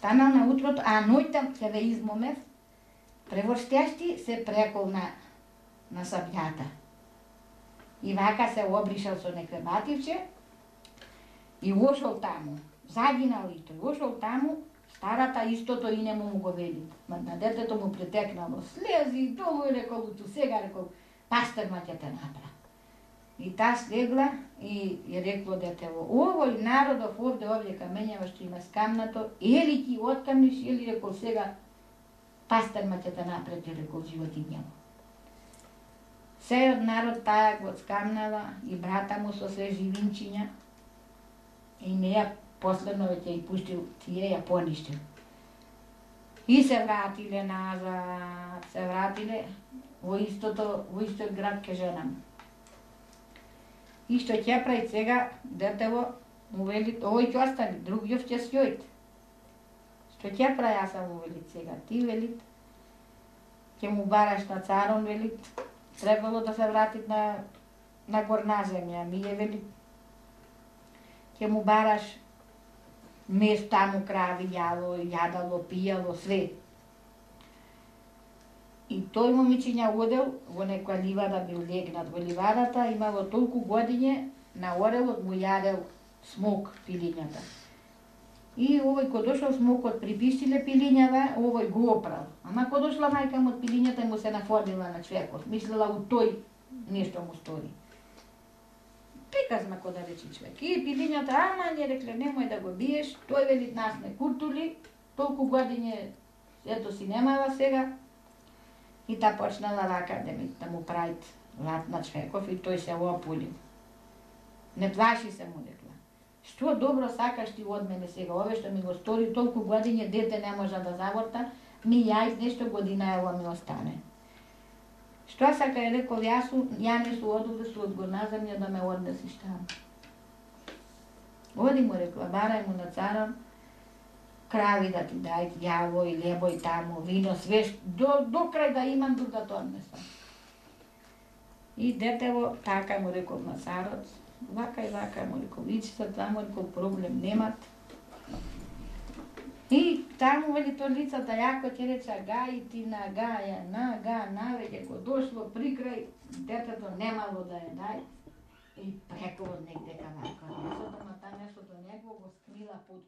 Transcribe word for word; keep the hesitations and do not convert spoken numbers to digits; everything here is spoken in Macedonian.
Станал на утрото, а ноќта се ве измомев, преврштешти се прекол на, на сабљата. И вака се обришал со некој бативче и ошол таму. Загинал и тој, ошол таму, старата истото и не му го вели. На детето му притекнало слези, долу и рекол, ту сега рекол, пастерма ќе те направи. И та слегла и ја рекло детево, овој народов овде, овде камењава што има скамнато, ели ќе откамниш, или рекол сега пастерма ќе те направи, рекол животињаво. Сејот народ таа го скамнала и брата му со се живинчиња и неја последно ќе ја пуштил, тие ја поништил. И се вратиле назад, се вратиле во истото, во истот град ке жена му. И што ќе прави сега, детево му вели, овој ќе остане, другиот ќе сјојт. Што ќе прави, аз му вели сега, ти вели, ќе му бараш на царон, вели, требало да се врати на, на горна земја, ми е вели, ќе му бараш мес таму крави јало, јадало, пијало, све. И тој момичиња одел во некоја ливада, бил легнат во ливадата, имало толку годиње, на орелот му јадел смок пилињата. И овој кој дошол смокот припистиле пилињава, овој го опрал. Ама кој дошла мајка му од пилињата му се нафорнила на човекот, мислела у тој нешто му стори. Приказна, кој да речи човек. И пилињата, ама не рекле, немој да го биеш, тој вели нас не куртули, толку годиње, ето си немала сега. И та почнала вака да, ми, да му правит лад на човеков и тој се опулил. Не плаши се, му рекла. Што добро сакаш ти од мене сега, ове што ми го стори толку годиње, дете не можа да заворта, ми јајд нешто година ево ми остане. Што сака е рекол, јас ја не су одовде су од горна земја да ме однесиш таму. Оди, му рекла, барај му на царон, крави да ти дајт, јаво и лебој таму, вино, све, до, до крај да имам тук да то однесам. И детево, така му рекол на царот, вака и вака му рекол, ичите таму, рекол, проблем немат. И таму, вели, то лицата, јако ќе рече, гај ти на гаја, на га, навеќе, го дошло при крај, детето немало да ја дај. И преко од негде кавака, месото, ма та месото него го скрила под